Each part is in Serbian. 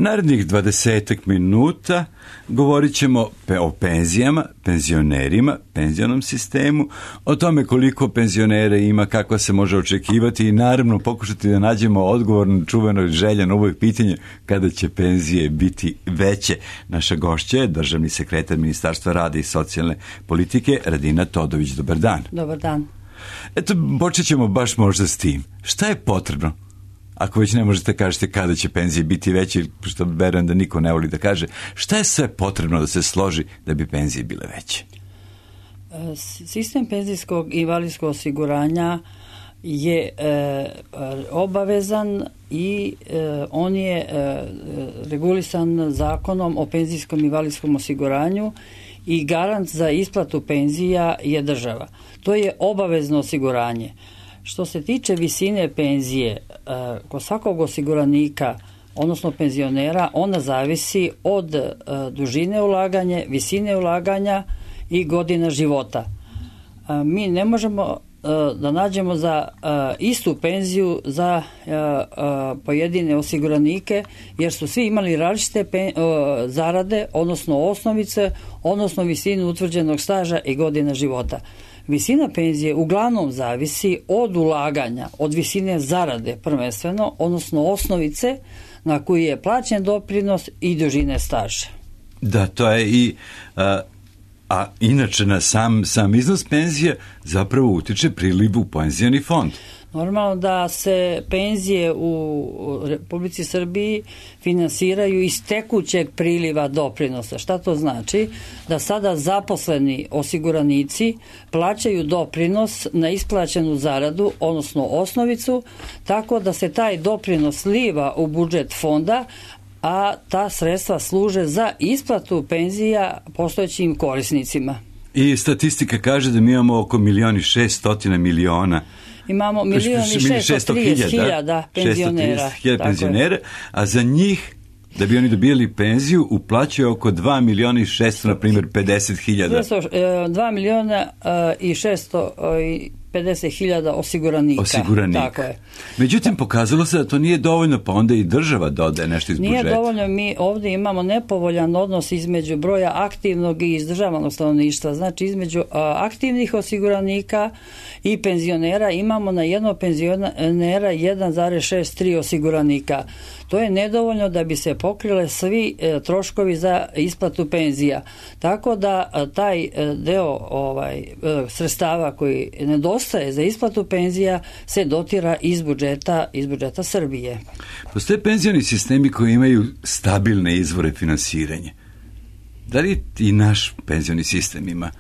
Narednih 20 minuta govorit ćemo o penzijama, penzionerima, penzionom sistemu, o tome koliko penzionera ima, kako se može očekivati i naravno pokušati da nađemo odgovor na čuveno želja na ovo pitanje kada će penzije biti veće. Naša gošća je državni sekretar Ministarstva rada i socijalne politike Radina Todović. Dobar dan. Dobar dan. Eto, počet ćemo baš možda s tim. Šta je potrebno? Ako već ne možete kažete kada će penzije biti veće, što verujem da niko ne voli da kaže, šta je sve potrebno da se složi da bi penzije bile veće? Sistem penzijskog i invalidskog osiguranja je obavezan i on je regulisan zakonom o penzijskom i invalidskom osiguranju i garant za isplatu penzija je država. To je obavezno osiguranje. Što se tiče visine penzije, kod svakog osiguranika, odnosno penzionera, ona zavisi od dužine ulaganja, visine ulaganja i godina života. Mi ne možemo da nađemo za istu penziju za pojedine osiguranike, jer su svi imali različite zarade, odnosno osnovice, odnosno visinu utvrđenog staža i godina života. Visina penzije uglavnom zavisi od ulaganja, od visine zarade prvenstveno, odnosno osnovice na koju je plaćen doprinos i dužine staža. Da, to je i... A inače na sam iznos penzije zapravo utiče priliv u penzioni fond. Normalno da se penzije u Republici Srbiji finansiraju iz tekućeg priliva doprinosa. Šta to znači? Da sada zaposleni osiguranici plaćaju doprinos na isplaćenu zaradu, odnosno osnovicu, tako da se taj doprinos sliva u budžet fonda, a ta sredstva služe za isplatu penzija postojećim korisnicima. I statistika kaže da mi imamo oko 1.600.000.000. Imamo 1.630.000 penzionera. 630.000 penzionera, a za njih, da bi oni dobijali penziju, uplaćuje oko 2.600.000, na primjer 50.000. 2.650.000 osiguranika. Tako je. Međutim, pokazalo se da to nije dovoljno, pa onda i država dodaje nešto iz budžeta. Nije dovoljno, mi ovdje imamo nepovoljan odnos između broja aktivnog i izdržavanog stanovništva. Znači, između aktivnih osiguranika i penzionera imamo na jednog penzionera 1,63 osiguranika. To je nedovoljno da bi se pokrile svi troškovi za isplatu penzija. Tako da taj deo sredstava koji nedostaje za isplatu penzija se dotira iz budžeta Srbije. Postoje penzioni sistemi koji imaju stabilne izvore finansiranja. Da li i naš penzioni sistem ima?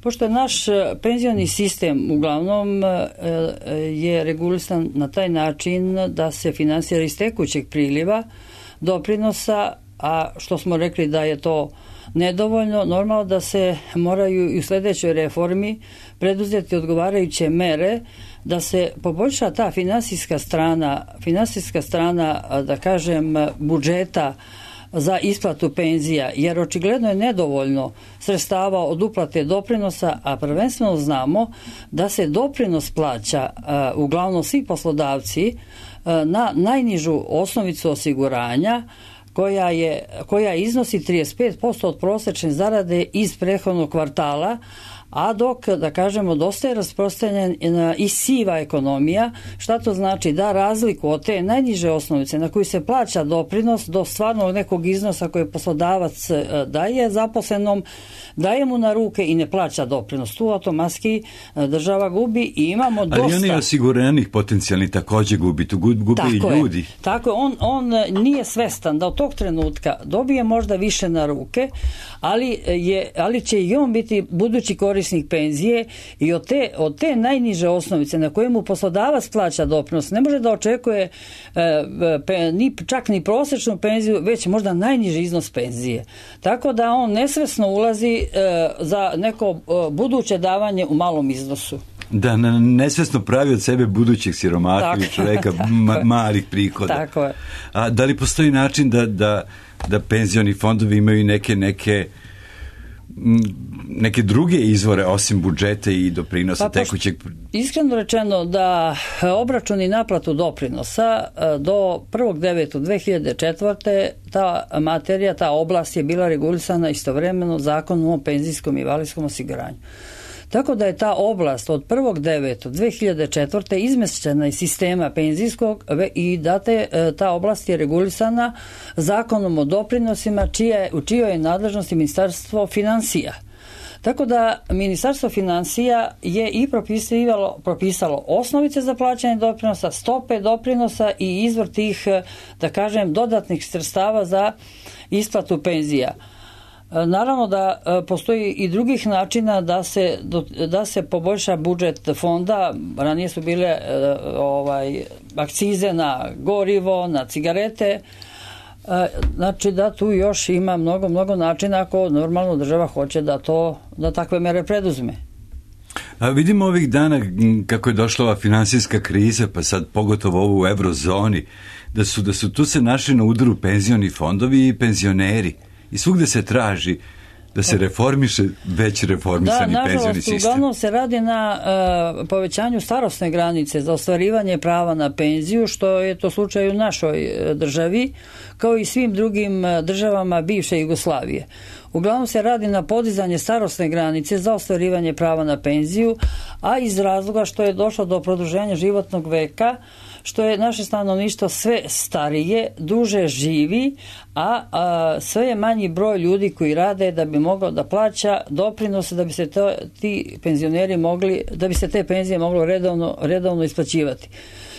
Pošto naš penzioni sistem uglavnom je regulisan na taj način da se finansira iz tekućeg priliva doprinosa, a što smo rekli da je to nedovoljno, normalno da se moraju i u sljedećoj reformi preduzeti odgovarajuće mere da se poboljša ta finansijska strana, da kažem, budžeta za isplatu penzija, jer očigledno je nedovoljno sredstava od uplate doprinosa, a prvenstveno znamo da se doprinos plaća uglavnom svi poslodavci na najnižu osnovicu osiguranja koja iznosi 35% od prosječne zarade iz prethodnog kvartala, a dok, da kažemo, dosta je rasprostranjena i siva ekonomija. Šta to znači? Da razliku od te najniže osnovice na koju se plaća doprinos do stvarnog nekog iznosa koje poslodavac daje zaposlenom, daje mu na ruke i ne plaća doprinos. Tu automatski država gubi i imamo dosta... Ali oni osiguranih potencijalni također gubi, tu gubi i ljudi. Tako je, on nije svestan da od tog trenutka dobije možda više na ruke, ali će i on biti budući korisnik penzije i od te najniže osnovice na kojemu poslodavac plaća doprinos ne može da očekuje čak ni prosječnu penziju, već možda najniži iznos penzije. Tako da on nesvesno ulazi za neko buduće davanje u malom iznosu. Da, nesvesno pravi od sebe budućeg siromaha ili čoveka malih prihoda. Tako je. A da li postoji način da penzioni fondovi imaju neke neke druge izvore osim budžeta i doprinosa tekućeg? Iskreno rečeno da obračun i naplatu doprinosa do 1.9.2004. ta materija, ta oblast je bila regulisana istovremeno Zakonom o penzijskom i invalidskom osiguranju. Tako da je ta oblast od 1.9.2004. izmešćena iz sistema penzijskog i da ta oblast je regulisana Zakonom o doprinosima u čijoj je nadležnosti Ministarstvo finansija. Tako da Ministarstvo financija je i propisalo osnovice za plaćanje doprinosa, stope doprinosa i izvor tih, da kažem, dodatnih sredstava za isplatu penzija. Naravno da postoji i drugih načina da se poboljša budžet fonda. Ranije su bile akcize na gorivo, na cigarete. Znači da tu još ima mnogo načina ako normalno država hoće da takve mere preduzme. A vidimo ovih dana kako je došla ova finansijska kriza, pa sad pogotovo ovo u eurozoni, da su tu se našli na udaru penzioni fondovi i penzioneri. I svugde se traži da se reformiše već reformisani penzioni sistem. Uglavnom se radi na povećanju starosne granice za ostvarivanje prava na penziju, što je to slučaj u našoj državi, kao i svim drugim državama bivše Jugoslavije. Uglavnom se radi na podizanje starosne granice za ostvarivanje prava na penziju, a iz razloga što je došlo do produženja životnog veka, što je naše stanovništvo sve starije, duže živi, a sve je manji broj ljudi koji rade da bi mogao da plaća doprinose, da bi se ti penzioneri da bi se te penzije moglo redovno isplaćivati.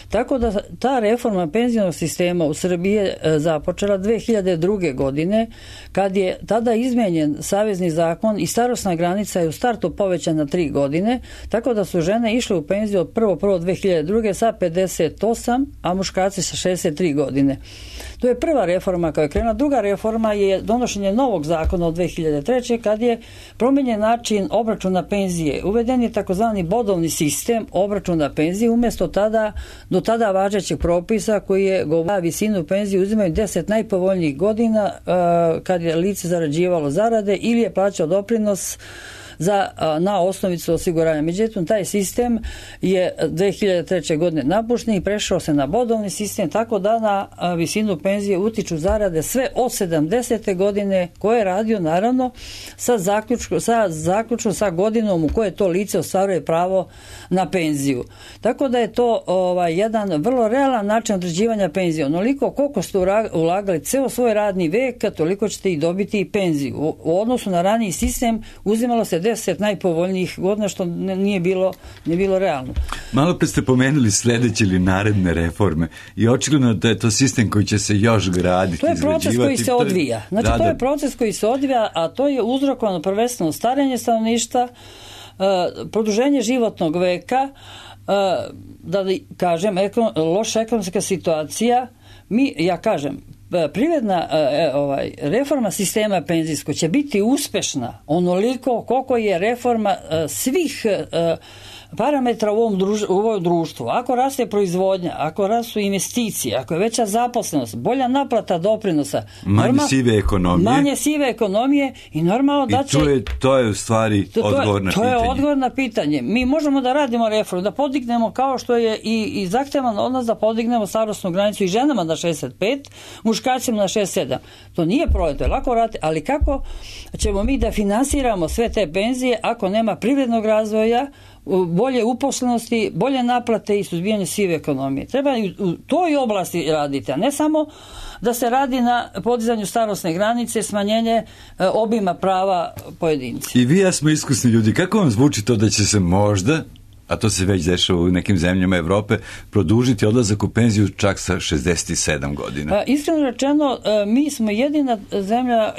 Tako da ta reforma penzionog sistema u Srbiji je započela 2002. godine, kad je tada izmenjen savezni zakon i starosna granica je u startu povećana 3 godine, tako da su žene išle u penziju od 1.1.2002. sa 58, a muškarci sa 63 godine. To je prva reforma koja je krenula. Druga reforma je donošenje novog zakona od 2003. kad je promenjen način obračuna penzije. Uveden je takozvani bodovni sistem obračuna penzije umjesto do tada važećeg propisa koji je govorio visinu penzije uzimaju 10 najpovoljnijih godina kad je lice zarađivalo zarade ili je plaćao doprinos na osnovicu osiguranja. Međutim, taj sistem je 2003. godine napušten i prešao se na bodovni sistem, tako da na visinu penzije utiču zarade sve od 70. godine koje je radio naravno zaključno sa godinom u kojoj to lice ostvaruje pravo na penziju. Tako da je to jedan vrlo realan način određivanja penzije. Onoliko koliko ste ulagali ceo svoj radni vek, toliko ćete i dobiti i penziju. U odnosu na raniji sistem uzimalo se 10 najpovoljnijih godina, što nije bilo realno. Malo pre ste pomenuli sledeće ili naredne reforme i očigledno da je to sistem koji će se još graditi, to je proces koji se odvija. Znači, to je proces koji se odvija, a to je uzrokovano prvenstveno starenje stanovništva, produženje životnog veka, da kažem, loša ekonomska situacija. Ja kažem, privredna reforma sistema penzijskog će biti uspešna onoliko koliko je reforma svih parametra u ovom društvu. Ako raste proizvodnja, ako rastu investicije, ako je veća zaposlenost, bolja naplata doprinosa, manje sive ekonomije i normalno da će... To je u stvari odgovor na pitanje. To je odgovor na pitanje. Mi možemo da radimo reformu, da podignemo kao što je i zahtevano od nas da podignemo starosnu granicu i ženama na 65, muškarcima na 67. To nije problem, to je lako raditi, ali kako ćemo mi da finansiramo sve te penzije ako nema privrednog razvoja, bolje uposlenosti, bolje naplate i suzbijanje sive ekonomije. Treba i u toj oblasti raditi, a ne samo da se radi na podizanju starosne granice, smanjenje obima prava pojedinci. I vi ja smo iskusni ljudi. Kako vam zvuči to da će se možda, a to se već dešava u nekim zemljama Evrope, produžiti odlazak u penziju čak sa 67 godina? Iskreno rečeno, mi smo jedina zemlja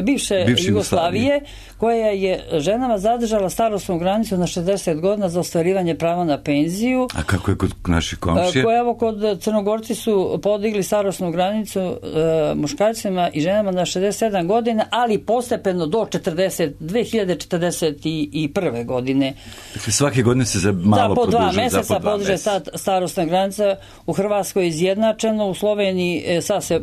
bivše Jugoslavije koja je ženama zadržala starosnu granicu na 60 godina za ostvarivanje prava na penziju. A kako je kod naših komšija? Kod Crnogorci su podigli starosnu granicu muškarcima i ženama na 67 godina, ali postepeno do 2041. godine. Dakle, svake godine se malo po produžuje. 2 meseca podiže starosna granica. U Hrvatskoj je izjednačeno, u Sloveniji sad se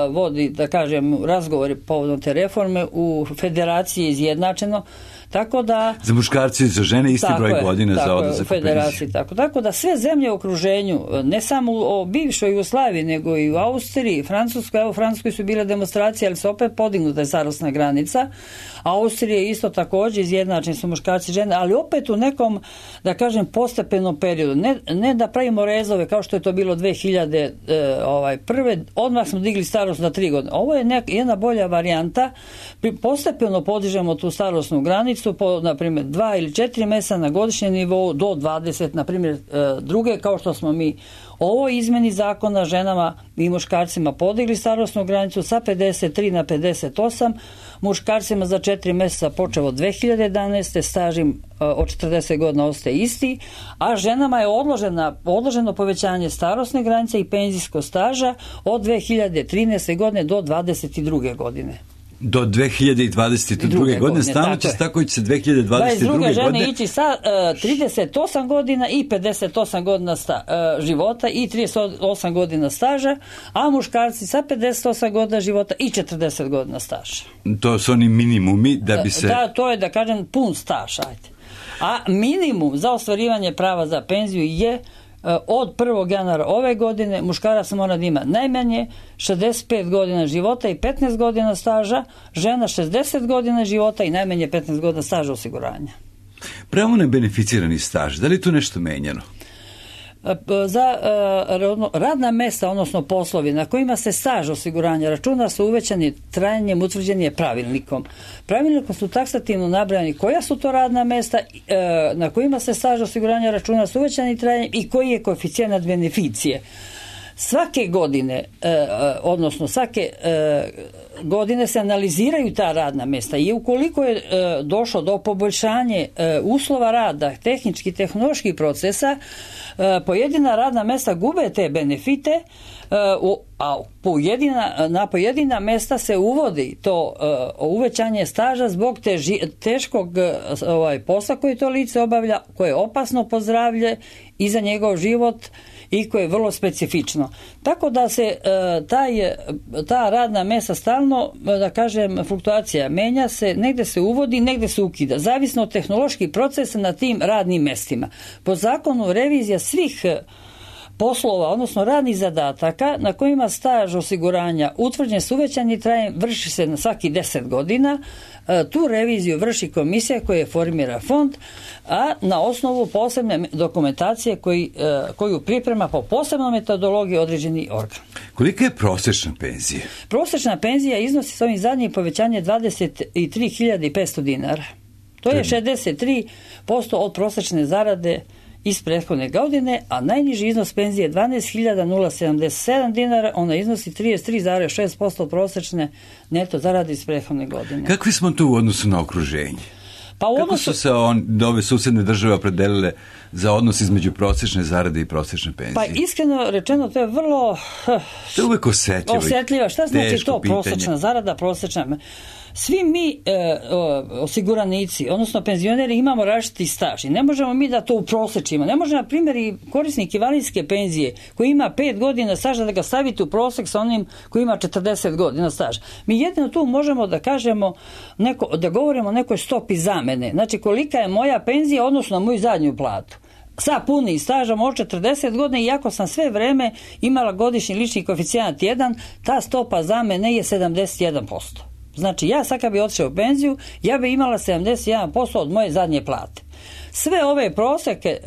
vodi, da kažem, razgovori povodom te reforme, u federaciji je izjednačeno. Tako da, za muškarci i za žene isti broj godina za odlazak u penziju. Tako da sve zemlje u okruženju, ne samo u bivšoj Jugoslaviji, nego i u Austriji, Francuskoj, evo u Francuskoj su bile demonstracije, ali se opet podignuta je starosna granica. Austrija je isto također izjednačeni su muškarci i žene, ali opet u nekom, da kažem, postepenom periodu. Ne da pravimo rezove kao što je to bilo 2001. Odmah smo digli starost na 3 godine. Ovo je jedna bolja varijanta. Postepeno podižemo tu starosnu granicu po, na primjer, 2 ili 4 mjeseca na godišnjem nivou do 20, na primjer, druge, kao što smo mi ovo izmeni zakona ženama i muškarcima podigli starosnu granicu sa 53 na 58, muškarcima za 4 mjeseca počeo od 2011. stažim od 40 godina ostaje isti, a ženama je odloženo povećanje starosne granice i penzijskog staža od 2013. godine do 2022. godine. Do 2022. godine stalno će tako ići se 2022. godine. Žene ići sa 38 godina i 58 godina života i 38 godina staža, a muškarci sa 58 godina života i 40 godina staža. To su oni minimumi da bi se... Da, to je, da kažem, pun staž, ajde. A minimum za ostvarivanje prava za penziju je od 1. januara ove godine muškarac mora da ima najmanje 65 godina života i 15 godina staža, žena 60 godina života i najmanje 15 godina staža osiguranja. Pravo na beneficirani staž, da li je tu nešto menjano? Za radna mesta, odnosno poslovi na kojima se staž osiguranja računa su uvećani trajanjem utvrđeni je pravilnikom. Pravilnikom su taksativno nabrajani koja su to radna mesta na kojima se staž osiguranja računa su uvećani trajanjem i koji je koeficijent beneficije. Svake godine, odnosno svake godine se analiziraju ta radna mesta i ukoliko je došlo do poboljšanja uslova rada, tehničkih, tehnoloških procesa, pojedina radna mesta gube te benefite, a na pojedina mesta se uvodi to uvećanje staža zbog teškog posla koji to lice obavlja, koje je opasno po zdravlje i za njegov život i koje je vrlo specifično. Tako da se ta radna mesta stalno, da kažem, fluktuacija menja se, negdje se uvodi, negdje se ukida, zavisno od tehnoloških procesa na tim radnim mestima. Po zakonu revizija svih poslova, odnosno radnih zadataka na kojima staž osiguranja utvrđen s uvećanim trajanjem vrši se na svaki 10 godina. Tu reviziju vrši komisija koja formira fond, a na osnovu posebne dokumentacije koju priprema po posebnoj metodologiji određeni organ. Kolika je prosječna penzija? Prosječna penzija iznosi s ovim zadnjim povećanje 23.500 dinara. To je 63% od prosječne zarade iz prethodne godine, a najniži iznos penzije je 12.077 dinara, ona iznosi 33,6% prosječne neto zarade iz prethodne godine. Kakvi smo tu u odnosu na okruženje? Kako su se ove susjedne države opredelile za odnos između prosječne zarade i prosječne penzije? Pa iskreno rečeno, to je vrlo... To je uvijek osjetljivo. Šta znači to prosječna zarada, prosječna... Svi mi osiguranici, odnosno penzioneri, imamo različiti staž i ne možemo mi da to uprosečimo. Ne može, na primjer, i korisnik invalidske penzije koji ima 5 godina staža da ga stavite u prosek sa onim koji ima 40 godina staža. Mi jedino tu možemo da kažemo, da govorimo o nekoj stopi zamene. Znači, kolika je moja penzija odnosno na moju zadnju platu. Sa punim stažom od 40 godina, iako sam sve vreme imala godišnji lični koeficijent 1, ta stopa zamene je 71%. Znači, ja sad kad bi otišao u penziju, ja bi imala 71% od moje zadnje plate. Sve ove prosjeke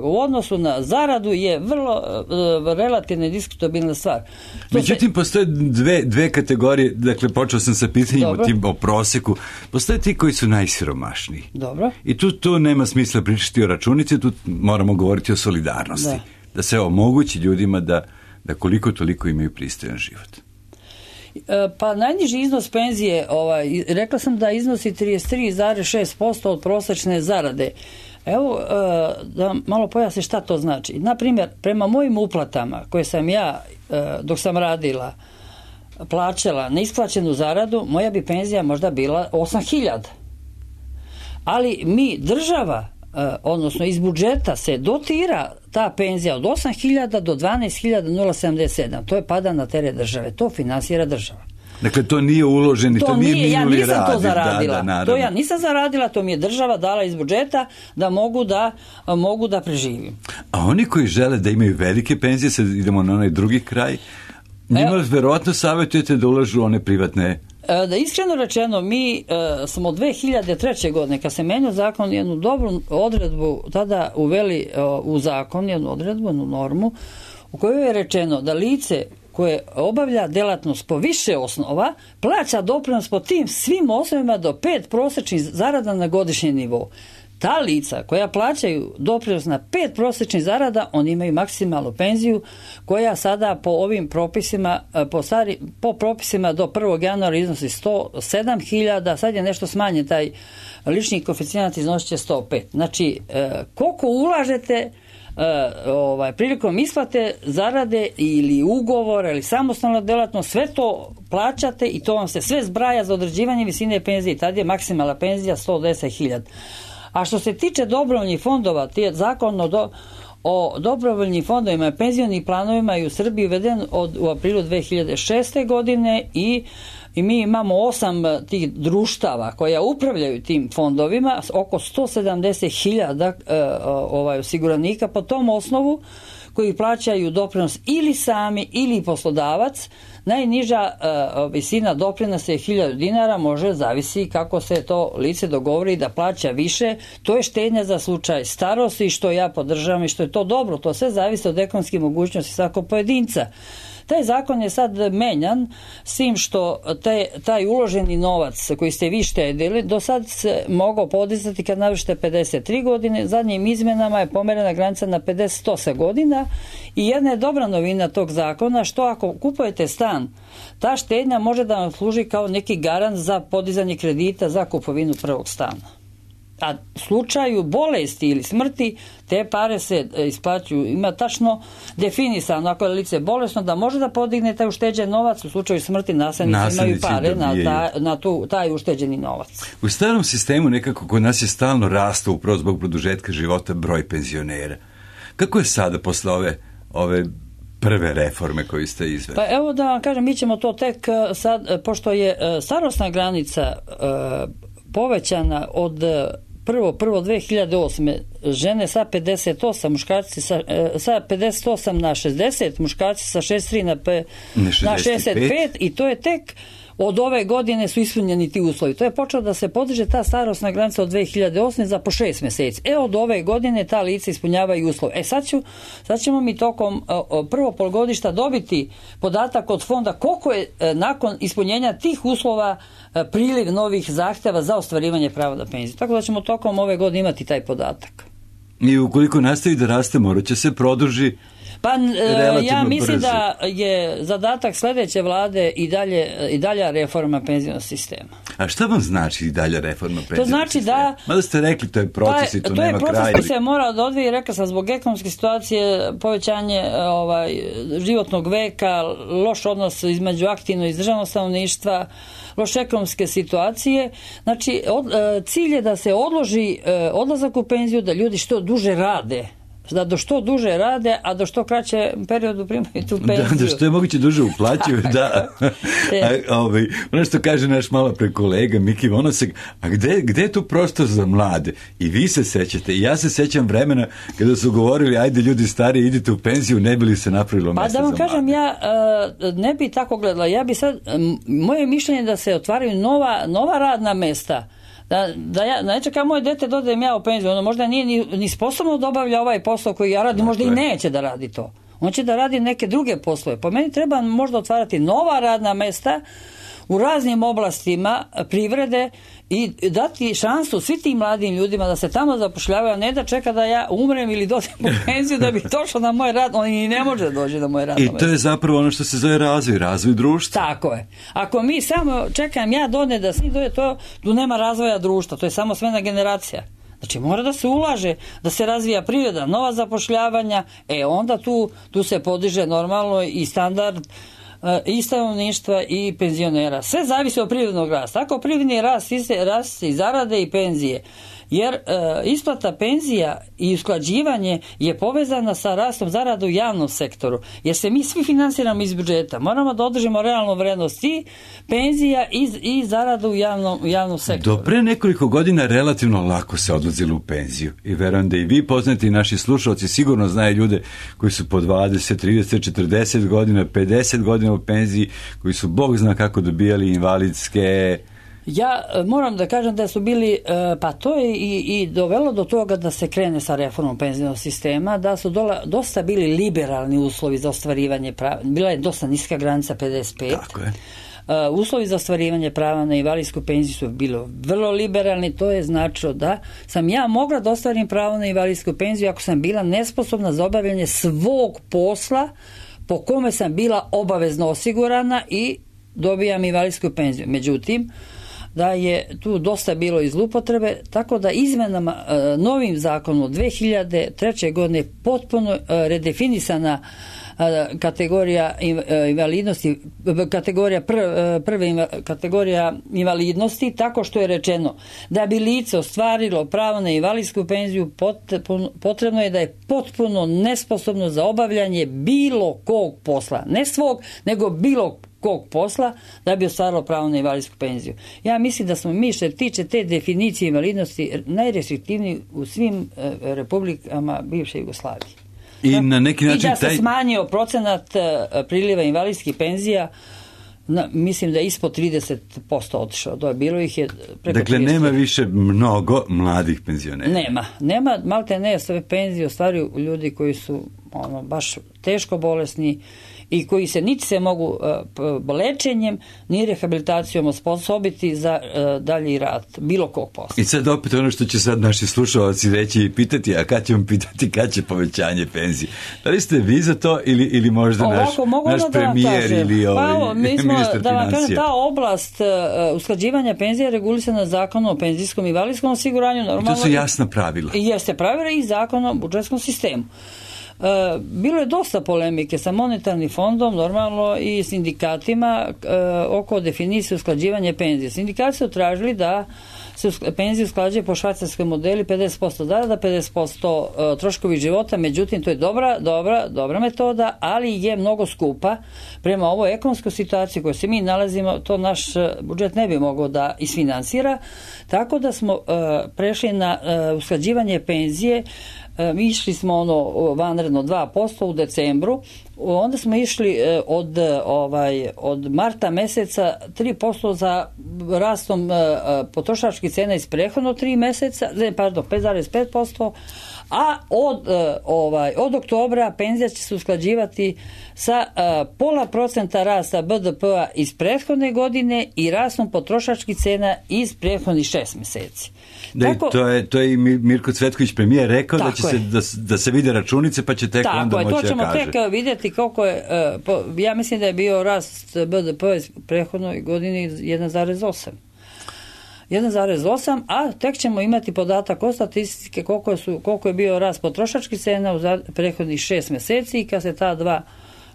u odnosu na zaradu je vrlo relativno i diskutabilna stvar. Međutim, postoje dve kategorije, dakle, počeo sam sa pitanjem o prosjeku. Postoje ti koji su najsiromašniji. Dobro. I tu nema smisla pričati o računici, tu moramo govoriti o solidarnosti. Da se omogući ljudima da koliko toliko imaju pristojan život. Pa najniži iznos penzije, rekla sam da iznosi 33,6% od prosječne zarade. Evo, da malo pojasnim šta to znači. Naprimjer, prema mojim uplatama koje sam ja, dok sam radila, plaćala na isplaćenu zaradu, moja bi penzija možda bila 8.000. Ali mi, država, odnosno iz budžeta se dotira ta penzija od 8.000 do 12.077. To je pada na teret države. To finansira država. Dakle, to nije uloženo, to nije minuli rad. Ja nisam to zaradila. To ja nisam zaradila, to mi je država dala iz budžeta da mogu da preživim. A oni koji žele da imaju velike penzije, sad idemo na onaj drugi kraj, njima verovatno savjetujete da ulažu one privatne. Da iskreno rečeno, mi smo 2003. godine, kad se menio zakon, jednu dobru odredbu tada uveli u zakon, jednu odredbu, jednu normu, u kojoj je rečeno da lice koje obavlja delatnost po više osnova, plaća doprinos po tim svim osnovima do 5 prosječnih zarada na godišnji nivou. Ta lica koja plaćaju doprinos na 5 prosječnih zarada, oni imaju maksimalnu penziju koja sada po ovim propisima, po propisima do 1. januara iznosi 107.000, sad je nešto smanjen taj lični koeficijent, iznosit će 105. Znači, koliko ulažete prilikom isplate zarade ili ugovora ili samostalna delatnost, sve to plaćate i to vam se sve zbraja za određivanje visine penzije. Tad je maksimalna penzija 110.000. A što se tiče dobrovoljnih fondova, zakon o dobrovoljnim fondovima i penzionim planovima je u Srbiji uveden u aprilu 2006. godine i mi imamo 8 tih društava koja upravljaju tim fondovima, oko 170.000 osiguranika po tom osnovu koji plaćaju doprinos ili sami ili poslodavac. Najniža visina doprinosa je 1.000 dinara, može zavisi kako se to lice dogovori da plaća više. To je štednja za slučaj starosti, što ja podržavam i što je to dobro. To sve zavisi od ekonomskih mogućnosti svakog pojedinca. Taj zakon je sad menjan s tim što taj uloženi novac koji ste vi štedili do sad se mogao podizati kad navršite 53 godine, zadnjim izmenama je pomerena granica na 58 godina i jedna je dobra novina tog zakona što ako kupujete stan, ta štednja može da vam služi kao neki garant za podizanje kredita za kupovinu prvog stana. A u slučaju bolesti ili smrti te pare se isplaćuju. Ima tačno definisano ako je lice bolesno da može da podigne taj ušteđen novac, u slučaju smrti naslednici imaju pare na taj ušteđeni novac. U starom sistemu nekako kod nas je stalno rastao upravo zbog produžetka života broj penzionera. Kako je sada posle ove prve reforme koju ste izveli? Pa evo da vam kažem, mi ćemo to tek sad, pošto je starosna granica povećana od 1.1.2008. žene sa 58, muškarci sa 58 na 60, muškarci sa 63 na 65 i to je tek od ove godine su ispunjeni ti uslovi. To je počelo da se podiže ta starosna granica od 2008. za po 6 mjeseci. Od ove godine ta lica ispunjavaju uslove. Sad ćemo mi tokom prvo polgodišta dobiti podatak od fonda koliko je nakon ispunjenja tih uslova priliv novih zahtjeva za ostvarivanje prava na penziju. Tako da ćemo tokom ove godine imati taj podatak. I ukoliko nastavi da raste, morat će se produži. Pa ja mislim brzo. Da je zadatak sljedeće vlade i dalja reforma penzionog sistema. A šta vam znači i dalja reforma penzionog sistema? To znači da... Mada ste rekli, to je proces i to nema kraja. To je proces koji se mora da odvije, rekla sam, zbog ekonomske situacije, povećanje životnog veka, loš odnos između aktivno i izdržanog stanovništva, loše ekonomske situacije. Znači, cilj je da se odloži odlazak u penziju, da ljudi što duže rade, da do što duže rade, a do što kraće periodu primaju tu penziju. Da što je moguće duže uplaćuju, da. Ono što kaže naš malo pre kolega Miki Vonosek, a gde je tu prostor za mlade? I vi se sećate, i ja se sećam vremena kada su govorili, ajde ljudi stariji, idite u penziju, ne bi li se napravilo mjesta za mlade? Pa da vam kažem, ja ne bi tako gledala. Ja bi sad, moje mišljenje da se otvaraju nova radna mesta. Da ja ne čekam moje dete dodajem ja u penziju, ono možda nije ni sposobno da obavlja ovaj posao koji ja radim, možda i neće da radi to. On će da radi neke druge poslove. Po meni treba možda otvarati nova radna mesta u raznim oblastima privrede i dati šansu svim tim mladim ljudima da se tamo zapošljavaju, a ne da čeka da ja umrem ili dođem u penziju da bi došao na moj rad. On i ne može da dođe na moj rad. I to je zapravo ono što se zove razvoj društva. Tako je. Ako mi samo čekam ja da svi dođe, tu nema razvoja društva, to je samo smena generacija. Znači mora da se ulaže, da se razvija privreda, nova zapošljavanja, onda tu se podiže normalno i standard i stanovništva i penzionera. Sve zavisi od privrednog rasta. Ako privredni rast i zarade i penzije jer isplata penzija i usklađivanje je povezana sa rastom zarada u javnom sektoru, jer se mi svi finansiramo iz budžeta. Moramo da održimo realnu vrednost i penzija i zarada u javnom sektoru. Do pre nekoliko godina relativno lako se odlazilo u penziju i verujem da i vi poznati i naši slušalci sigurno znaju ljude koji su po 20, 30, 40 godina, 50 godina u penziji, koji su Bog zna kako dobijali invalidske. Ja moram da kažem da su bili, pa to je i dovelo do toga da se krene sa reformom penzijnog sistema, da su dosta bili liberalni uslovi za ostvarivanje prava. Bila je dosta niska granica 55. Tako je. Uslovi za ostvarivanje prava na invalidsku penziju su bilo vrlo liberalni, to je značilo da sam ja mogla da ostvarim pravo na invalidsku penziju ako sam bila nesposobna za obavljanje svog posla po kome sam bila obavezno osigurana i dobijam invalidsku penziju. Međutim, da je tu dosta bilo i zloupotrebe, tako da izmenama novim zakonom 2003. godine potpuno redefinisana kategorija invalidnosti, kategorija invalidnosti, tako što je rečeno da bi lice ostvarilo pravo na invalidsku penziju potrebno je da je potpuno nesposobno za obavljanje bilo kog posla, ne svog, nego bilo kog posla da bi ostvarilo pravo na invalidsku penziju. Ja mislim da smo mi što se tiče te definicije invalidnosti najrestriktivniji u svim republikama bivše Jugoslavije. I na neki način i da se smanjio procenat priliva invalidskih penzija, mislim da je ispod 30% otišao. Bilo ih je preko 30%. Dakle, nema više mnogo mladih penzionera. Nema, malte ne, sve penzije ostvaruju ljudi koji su baš teško bolesni i koji se niti se mogu lečenjem ni rehabilitacijom osposobiti za dalji rad bilo kog posla. I sad opet ono što će sad naši slušalci reći i pitati, a kad ćemo pitati kad će povećanje penzije? Da li ste vi za to ili možda naš premijer ili ministar financija? Da vam kažem, ta oblast usklađivanja penzija je regulisana Zakonom o penzijskom i invalidskom osiguranju. Normalno, to su jasna pravila. Jeste pravila i Zakonom o budžetskom sistemu. Bilo je dosta polemike sa monetarnim fondom, normalno i sindikatima oko definicije usklađivanja penzije. Sindikati su tražili da se penzije usklađuje po švajcarskom modelu 50% zarada, 50% troškovi života, međutim to je dobra metoda, ali je mnogo skupa. Prema ovoj ekonomskoj situaciji u kojoj se mi nalazimo, to naš budžet ne bi mogao da isfinansira, tako da smo prešli na usklađivanje penzije. Mi išli smo vanredno 2% u decembru, onda smo išli od marta meseca 3% za rastom potrošačkih cena iz prethodno 5,5%, a od oktobra penzija će se usklađivati sa 0,5% rasta BDP-a iz prethodne godine i rastom potrošačkih cena iz prethodnih 6 meseci. To je i Mirko Cvetković premijer rekao da će da se vide računice pa će tek onda moći da kaže. To ćemo tek vidjeti koliko je, ja mislim da je bio rast BDP-a iz prethodnoj godini 1,8, a tek ćemo imati podatak o statistike koliko je bio rast potrošačkih cena u prethodnih 6 meseci i kad se ta dva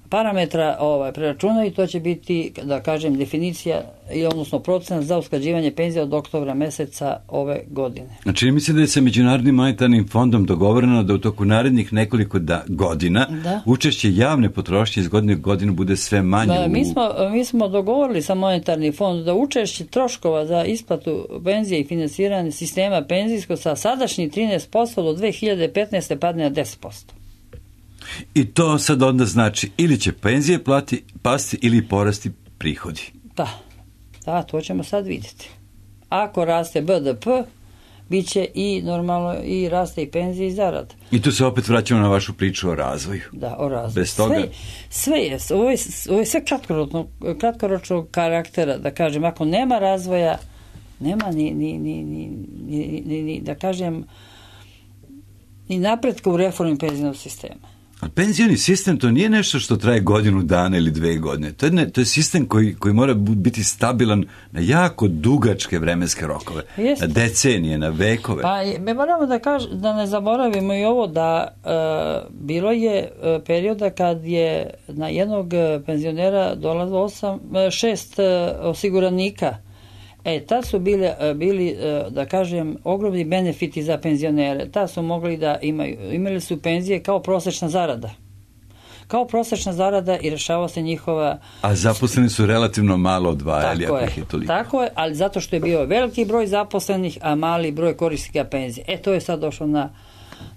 parametra preračunaju, to će biti, da kažem, definicija, odnosno procenat za usklađivanje penzija od oktobra meseca ove godine. Znači, mislim da je sa Međunarodnim monetarnim fondom dogovoreno da u toku narednih nekoliko godina učešće javne potrošnje iz godine u godinu bude sve manje. Mi smo dogovorili sa monetarnim fondom da učešće troškova za isplatu penzije i finansiranje sistema penzijskog sa sadašnjih 13% do 2015. padne na 10%. I to sad onda znači ili će penzije pasti ili porasti prihodi. Da, to ćemo sad vidjeti. Ako raste BDP, bit će i normalno i raste i penzije i zarada. I tu se opet vraćamo na vašu priču o razvoju. Da, o razvoju. Bez toga... Sve je. Ovo je sve kratkoročnog karaktera, da kažem. Ako nema razvoja, nema ni da kažem, ni napretka u reformi penzijnog sistema. A penzijoni sistem to nije nešto što traje godinu dana ili 2 godine. To je sistem koji mora biti stabilan na jako dugačke vremenske rokove. Jeste. Na decenije, na vekove. Pa mi moramo da ne zaboravimo i ovo da bilo je perioda kad je na jednog penzionera dolazilo 6 osiguranika Tad su bili, da kažem, ogromni benefiti za penzionere. Tad su mogli da imali su penzije kao prosečna zarada. Kao prosečna zarada i rešava se njihova... A zaposleni su relativno malo odvajali. Tako je, ali zato što je bio veliki broj zaposlenih, a mali broj korisnika penzije. To je sad došlo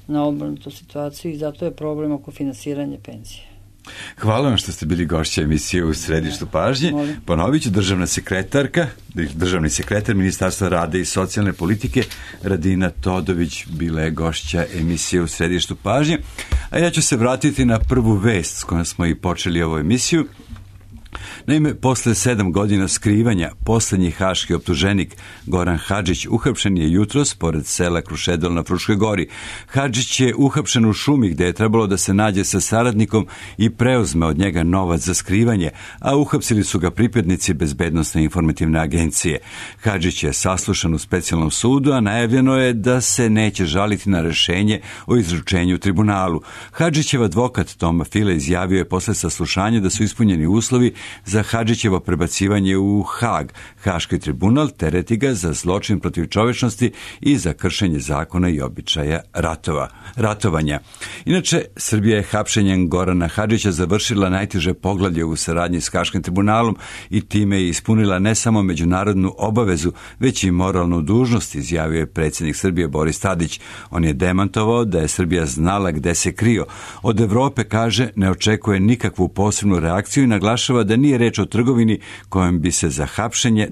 na obrnutu situaciju i zato je problem oko finansiranja penzije. Hvala vam što ste bili gošća emisije u središtu pažnje. Ponovit ću, državni sekretar Ministarstva rada i socijalne politike Radina Todović bila je gošća emisije u središtu pažnje. A ja ću se vratiti na prvu vest s kojom smo i počeli ovu emisiju. Naime, posle 7 godina skrivanja, poslednji haški optuženik Goran Hadžić uhapšen je jutros pored sela Krušedol na Fruškoj gori. Hadžić je uhapšen u šumi gde je trebalo da se nađe sa saradnikom i preuzme od njega novac za skrivanje, a uhapsili su ga pripadnici Bezbednosne informativne agencije. Hadžić je saslušan u specijalnom sudu, a najavljeno je da se neće žaliti na rešenje o izručenju u tribunalu. Hadžićev advokat Toma File izjavio je posle saslušanja da su ispunjeni uslovi za Hadžićevo prebacivanje u Hag. Haški tribunal tereti ga za zločin protiv čovečnosti i za kršenje zakona i običaja ratovanja. Inače, Srbija je hapšenjem Gorana Hadžića završila najteže poglavlje u saradnji s Haškim tribunalom i time je ispunila ne samo međunarodnu obavezu, već i moralnu dužnost, izjavio je predsjednik Srbije Boris Tadić. On je demantovao da je Srbija znala gde se krio. Od Evrope, kaže, ne očekuje nikakvu posebnu reakciju i naglašava da nije reč o trgovini kojom bi se za hapšenje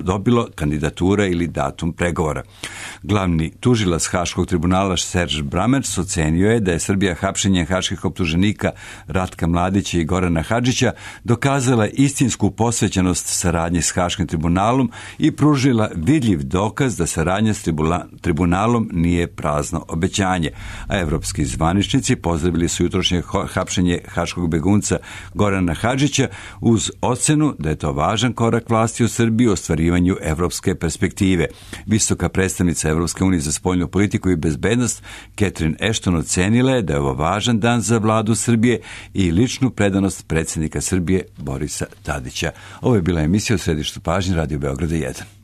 dobilo kandidatura ili datum pregovora. Glavni tužilac Haškog tribunala Serge Brammertz ocenio je da je Srbija hapšenjem haških optuženika Ratka Mladića i Gorana Hadžića dokazala istinsku posvećenost saradnji s Haškim tribunalom i pružila vidljiv dokaz da saradnja s tribunalom nije prazno obećanje. A evropski zvaničnici pozdravili su jutrošnje hapšenje haškog begunca Gorana Hadžića uz ocenu da je to važan korak vlasti u Srbiji u ostvarivanju evropske perspektive. Visoka predstavnica Evropske unije za spoljnu politiku i bezbednost Catherine Ashton ocenila je da je ovo važan dan za vladu Srbije i ličnu predanost predsjednika Srbije Borisa Tadića. Ovo je bila emisija u središtu pažnje Radio Beograda 1.